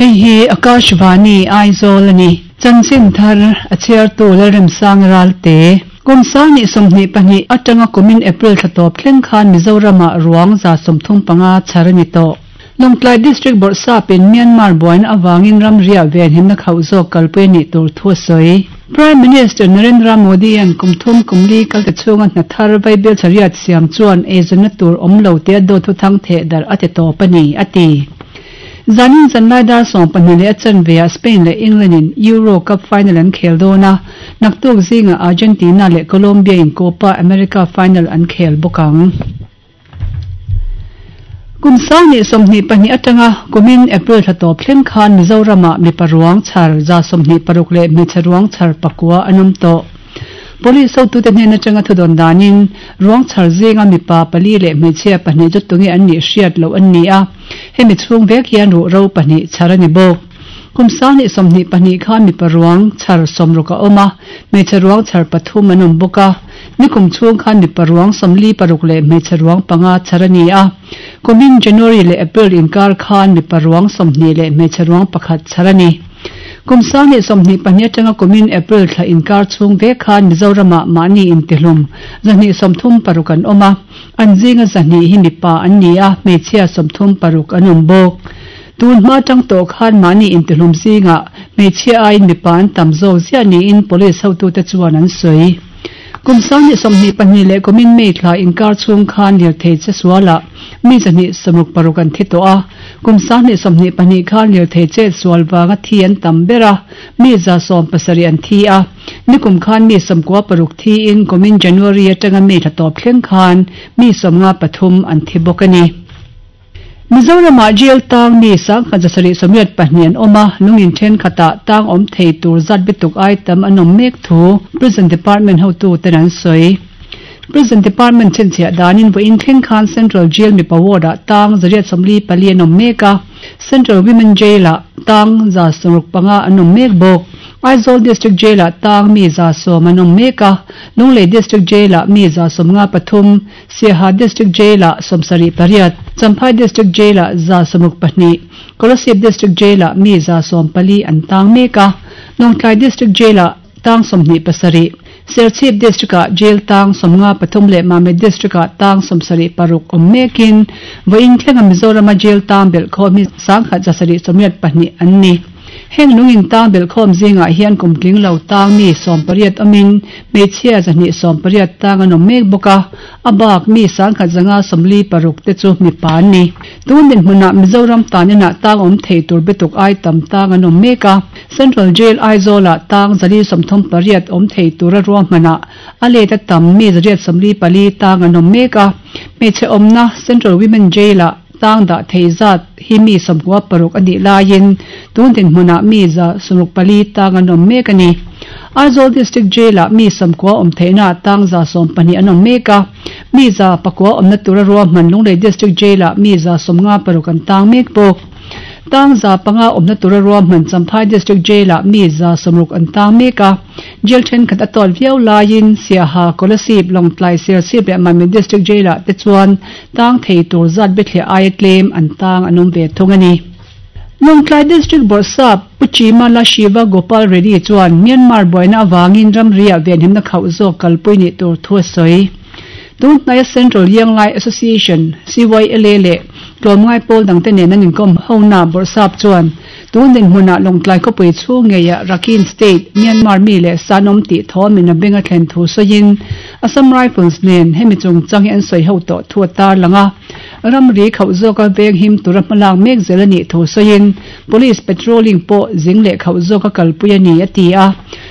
Hei hi Akashvani, Aizawl a ni. Chanchin thar a chhiartu Lalremsang Ralte. Kum 2022 atanga kumin April thla tawp thleng khan Mizoramah ruang 35 chhar a ni tawh. Lawngtlai District Bawrhsapin Myanmar buaina avangin ramriah venhimna khauh zawk kalpui a nih tur thu a sawi. Prime Minister Narendra Modi-a'n kum thum kum li kalte chhunga hna thar vaibel chariat siam chuan eizawnna tur awm lo tia dawt thuthang theh darh a ti tawp a ni, a ti. Zanin zanlai dar 12 leh a chanveah Spain leh England in Euro Cup final an khel dawn a, naktuk zingah Argentina leh Colombia in Copa America final an khel bawk ang. Kum 2022 atanga kumin April thla tawp thleng khan Mizoramah mipa ruang chhar 26 leh hmeichhe ruang chhar pakua an awm tawh. Police hotute hnen atanga thudawn danin ruang chhar zinga mipa pali leh hmeichhia pahnih chu tunge an nih hriat loh an ni a, hemi chhung vek hian ruhro pahnih chhar a ni bawk. Kum 2022 khan mipa ruang chhar 60 a awm a, hmeichhe ruang chhar pathum an awm bawk a. Nikum chhung khan mipa ruang 46 leh hmeichhe ruang panga chhar a ni a. Kumin January leh April inkar khan mipa ruang 20 leh hmeichhe ruang pakhat chhar a ni. Kum 2022 atanga kumin April thla inkar chhung vek khan Mizoramah mahni intihlum 236 an awm a, an zinga 200 hi mipa an ni a, hmeichhia 36 an awm bawk. Tun hma tang tawh khan mahni intihlum zingah hmeichhia aiin mipa an tam zawk ziah niin police hotute chuan an sawi. Kum 2022 leh kumin May thla inkar chhung khan lirthei che sualah mi 266 an thi tawh a, kum 2022 khan lirthei chet sual vanga thi an tam ber a, mi 170 an thi a. Nikum khan mi 96 thiin kumin January atanga May thla tawp thleng khan mi 53 an thi bawk a ni. Mizoramah jail tang mi 1782 an awm a, lungin thenkhatah tang awm thei tur zat bituk ai tam an awm mek thu Prison Department hotuten an sawi. Prison Department chhinchhiah danin vawiin thleng khan Central Jail mipa ward-ah tang 144 an awm mek a, Central Women Jail-ah tang 165 an awm mek bawk. Aizawl District Jail-ah tang mi 110 an awm mek a, Lunglei District Jail-ah mi 153, Siaha District Jail-ah 78, Champhai District Jail-ah 162, Kolasib District Jail-ah mi 114 an tang mek a, Lawngtlai District Jail-ah tang 27, Serchhip District-ah Jail tang 53 leh Mamit District-ah tang 76 awm mekin vawiin thlenga Mizorama Jail tang belhkhawm hi 1782 an ni. Heng lungin tang belhkhawm zingah hian kum tling lo tang mi 18 awmin hmeichhia 180 tang an awm mek bawk a, a bak mi 1156 te chu mipa an ni. Tun dinhmunah Mizoram taninah tang awm thei tur bituk ai tam tang an awm mek a, Central Jail Aizawlah tang 138 awm thei tura ruahmanah a let a tam mi 144 tang an awm mek a, hmeichhe awmna Central Women Jail-ah tang dah thei zat hi mi 96 a nih laiin tun dinhmunah mi 64 tang an awm mek a ni. Aizawl District Jail-ah mi 90 awm theihna tang 112 an awm mek a, mi 9 awmna tura ruahman Lunglei District Jail-ah mi 56 an tang mek bawk. Tang 500 awmna tura ruahman Champhai District Jail-ah mi 60 an tang mek a, Jail thenkhat a tawt viau laiin Siaha, Kolasib, Lawngtlai, Serchhip leh Mamit District Jail-ah te chuan tang thei tur zat bithliah aia tlem an tang an awm ve thung a ni. Lawngtlai District Bawrhsap Pu Chimala Shiva Gopal Reddy chuan Myanmar buaina avangin ramriah venhimna khauh zawk kalpui nih tur thu a sawi. Tun hnaia Central Young Lai Association, CYLA, leh tlawmngai pawl dangte nen an inkawm hona Bawrhsap chuan tun dinhmunah Lawngtlai khawpui chhung ngeiah Rakhine State, Myanmar mi leh san awm tih thawmin a beng a thlen thu sawiin Assam Rifles nen hemi chungchang hi an sawi ho tawh thu a tarlang a. Ramri khauh zawka veng him tura hmalak mek zel a nih thu sawiin Police patrolling pawh zing leh khauh zawka kalpui a ni a ti a.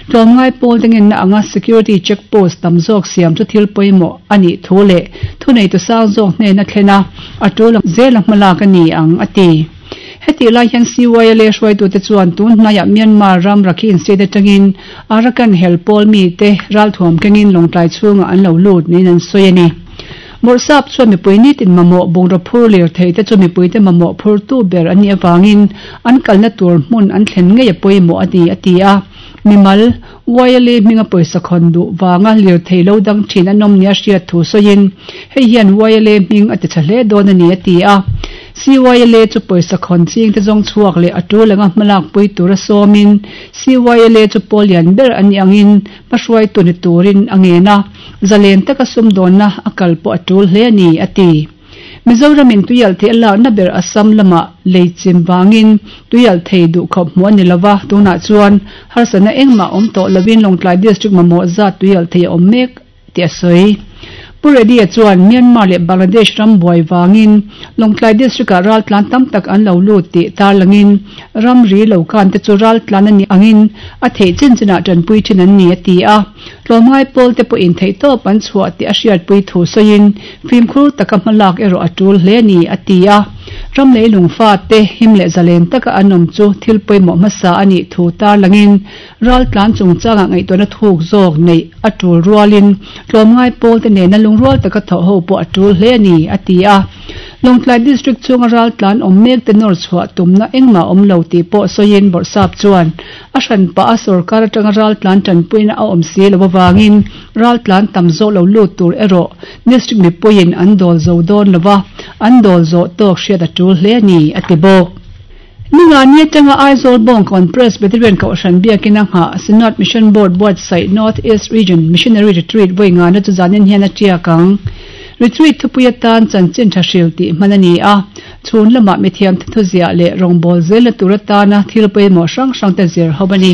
Tlawmngai pawl te ngenna anga security check post tam zawk siam chu thil pawimawh a nih thu leh thuneitu sang zawk hnena thlen a, a tul ang zela hmalak a ni ang a ti. Hetih lai hian CYLA hruaitute chuan tun hnaiah Myanmar ram Rakhine State atangin Arakan hel pawl mite ralthuam kengin Lawngtlai chhungah an lo lut niin an sawi a ni. Bawrhsap chuan mipui nitin mamawh bungraw phur lir thei te chu mipuite mamawh phurtu ber an nih avangin an kalna tur hmun an thlen ngei a pawimawh a ni a ti a. Mimal, YLA hminga pawisa khawn duh vanga lir thei lo dang thin an awm nia hriat thu sawiin hei hian YLA hming a ti tha hle dawn a ni a ti a. CYLA chu pawisa khawn ching te zawng chhuak leh a tul anga hmalak pui tura sawmin CYLA chu pawl lian ber a nih angin hmahruaitu ni turin a ngen a, zalen taka sumdawnna a kal pawh a tul hle a ni, a ti. Mizoramin tuialhthei a lakna ber Assam lamah lei chim vangin tuialhthei duhkhawp hmuh a ni lova, tunah chuan harsatna engmah awm tawh lovin Lawngtlai District mamawh zat tuialhthei a awm mek tih a sawi. Pu Reddy-a chuan Myanmar leh Bangladesh ram buai vangin Lawngtlai District-ah raltlan tam tak an lo lut tih tarlangin ramri lo kan te chu raltlan a nih angin a theih chin chinah tanpui thin an ni a ti a. Tlawmngai pawl te pawhin theihtawp an chhuah tih a hriatpui thu sawiin fimkhur taka hmalak erawh a tul hle a ni a ti a. Ram leilung fate him leh zalen taka an awm chu thil pawimawh hmasa a nih thu tarlangin Raltlan chungchangah ngaihtuahna thuk zawk neih a tul rualin tlawmngai pawlte nena lungrual taka thawh ho pawh a tul hle a ni, a ti a. Lawngtlai District chhunga raltlan awm mekte nawr chhuah tumna engmah awm lo tih pawh sawiin Bawrhsap chuan a hranpah a sorkar atanga raltlan tanpuina a awm si lo avangin raltlan tam zawk lo lut tur erawh District mipuiin an dawl zo dawn lova, an dawl zawh tawk hriat a tul hle a ni, a ti bawk. Ningani atanga Aizawl Bawngkawn Presbyterian Kohhran biakin a nghah Synod Mission Board buatsaih North East Region Missionary Retreat vawi ngana chu zanin hian a tiak ang. Retreat thupui atan chanchin tha hril tih hman a ni a, chhun lamah mithiamte thuziah leh rawngbâwl zelna tur atana thil pawimawh hrang hrangte zir ho a ni.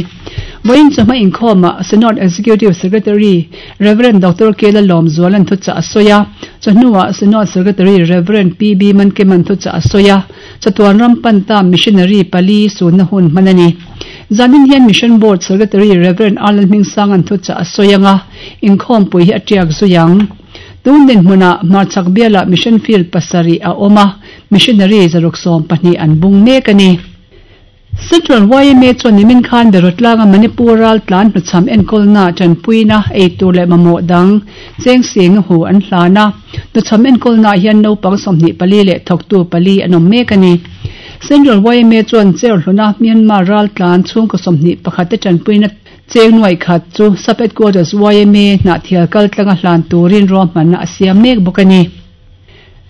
Vawiin chawhma inkhawmah Synod Executive Secretary Rev. Doctor Kela Lawmzuala'n thuchah a sawi a, chawhnuah Synod Secretary Rev. PB Mankima'n thuchah a sawi a. Chatuan ram pan ta missionary pali sunna hun hman a ni. Zanin hian Mission Board Secretary Rev. Arlan Hmingsanga'n thuchah a sawi ang a, inkhawmpui hi a tiak zui ang. Tun dinhmunah hmarchhak bialah Mission Field pasarih a awm a, missionary 120 an bung mek a ni. Central yma chuan nimin khan Berawtlanga Manipur raltlan hnuchham enkawlna tanpuina ei tur leh mamawh dang cheng sing hu an hlan a. Hnuchham enkawlnaah hian naupang 24 leh thawktu pali an awm mek a ni. Central yma chuan Cherhluna Myanmar raltlan chhungkaw 21 te tanpuina cheng nuaih khat chu Sub Headquarters yma hnahthial kaltlanga hlan turin ruahmanna a siam mek bawk a ni.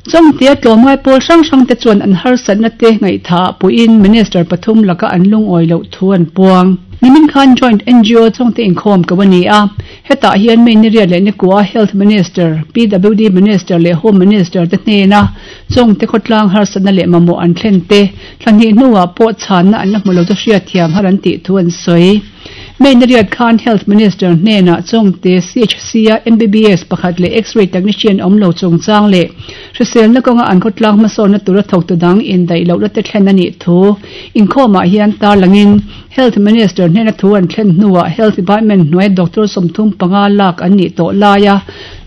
Chawngtea tlawmngai pawl hrang hrang te chuan an harsatna te ngaihthah puiin Minister pathum laka an lungawi loh thu an puang. Nimin khan Joint ngo Chawngte inkhawm ko a ni a, hetah hian May ni riat leh ni kua Health Minister, PWD Minister leh Home Minister te hnena Chawngte khawtlang harsatna leh mamawh an thlen te thla hnih hnuah pawh chhanna an la hmu lo chu hriatthiam har an tih thu an sawi. May ni riat khan Health Minister hnenah Chawngte CHC-a MBBS pakhat leh X-ray technician awm lo chungchang leh hriselna kawnga an khawtlang hmasawnna tura thawktu dang indaih lohna te thlen a nih thu inkhawmah hian tarlangin Health Minister hnena thu an thlen hnuah Health Department hnuaia doctor 35 lak an nih tawh laia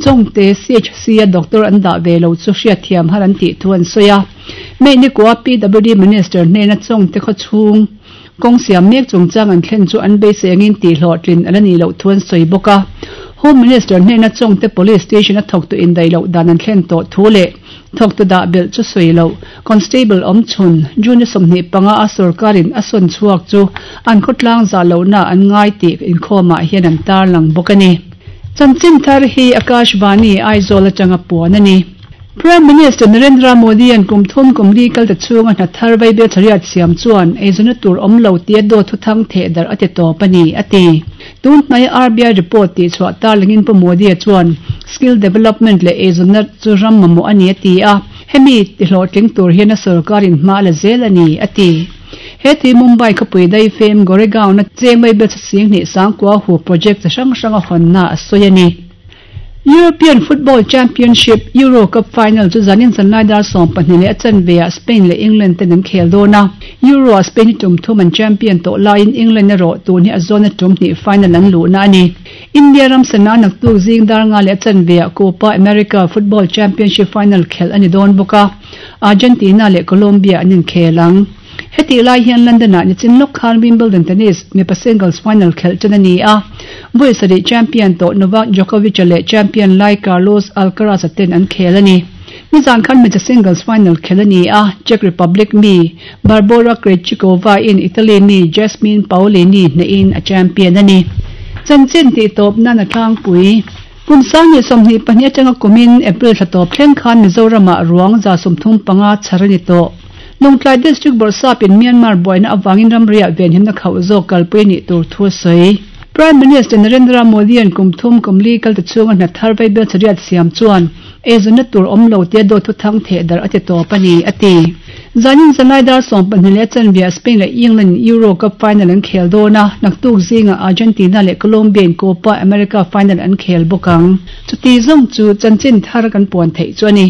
Chawngte CHC-a doctor an dah ve lo chu hriatthiam har an tih thu an sawi a. May ni kua PWD Minister hnena Chawngte khawchhung Kawng siam mek chungchang an thlen chu an beisei angin tihhlawhtlin a la nih loh thu an sawi bawk a. Home Minister hnena Chawngte Police Station a thawktu indaih loh dan an thlen tawh thu leh thawktu dah belh chu sawi loh Constable awmchhun June 25 a sorkarin a sawn chhuak chu an khawtlang zah lohna an ngai tih inkhawmah hian an tarlang bawk a ni. Chanchin thar hi Akashvani Aizawl atanga puan a ni. Prime Minister Narendra Modi-a'n kum thum kum li kalta chhunga hna thar vaibel chhariat siam chuan eizawnna tur awm lo tia dawt thuthang theh darh a ti tawp a ni, a ti. Tun hnaia RBI report tihchhuah tarlangin Pu Modi-a chuan skill development leh eizawnna chu ram mamawh a ni a ti a, hemi tihlawhtling tur hian a sorkarin hma a la zel a ni, a ti. He tui Mumbai khawpui daifem Goregaon-a cheng vaibel chhasing hnih sangkua hu project chi hrang hranga hawnna a sawi a ni. European Football Championship, Euro Cup final chu zanin zanlai dar 12 leh a chanve ah Spain leh England ten an khel dawn a. Euro ah Spain hi tum thum an champion tawh laiin England erawh tun hi a zawna tum hnih final an luhna a ni. India ram sana naktuk zing dar nga leh a chanve ah Copa America Football Championship final khelh a ni dawn bawk a, Argentina leh Colombia an inkhel ang. Hetih lai hian London-ah nichin lawk khan Wimbledon tennis mipa singles final khelh tan a ni a. Vawi sarih champion tawh Novak Djokovic-a leh champion lai Carlos Alcaraz-a ten an khel a ni. Nizan khan hmeichhe singles final khelh a ni a, Czech Republic mi Barbora Krejcikova-in Italy mi Jasmine Paolini hnehin a champion a ni. Chanchin tihtawp nan a tlangpui. Kum 2022 atanga kumin April thla tawp thleng khan Mizoramah ruang 35 chhar a ni tawh. Lawngtlai District Bawrhsapin Myanmar buaina avangin ramriah venhimna khauh zawk kalpui a nih tur thu a sawi. Prime Minister Narendra Modi-a'n kum thum kum li kal ta chhunga hna thar vaibel chariat siam chuan eizawnna tur awm lo tia dawt thuthang theh darh a ti tawp a ni, a ti. Zanin zanlai dar 12 leh chanve ah Spain leh England in Euro Cup final an khel dawn a, naktuk zingah Argentina leh Colombia in Copa America final an khel bawk ang. Chuti zawng chu chanchin thar kan puan theih chu a ni.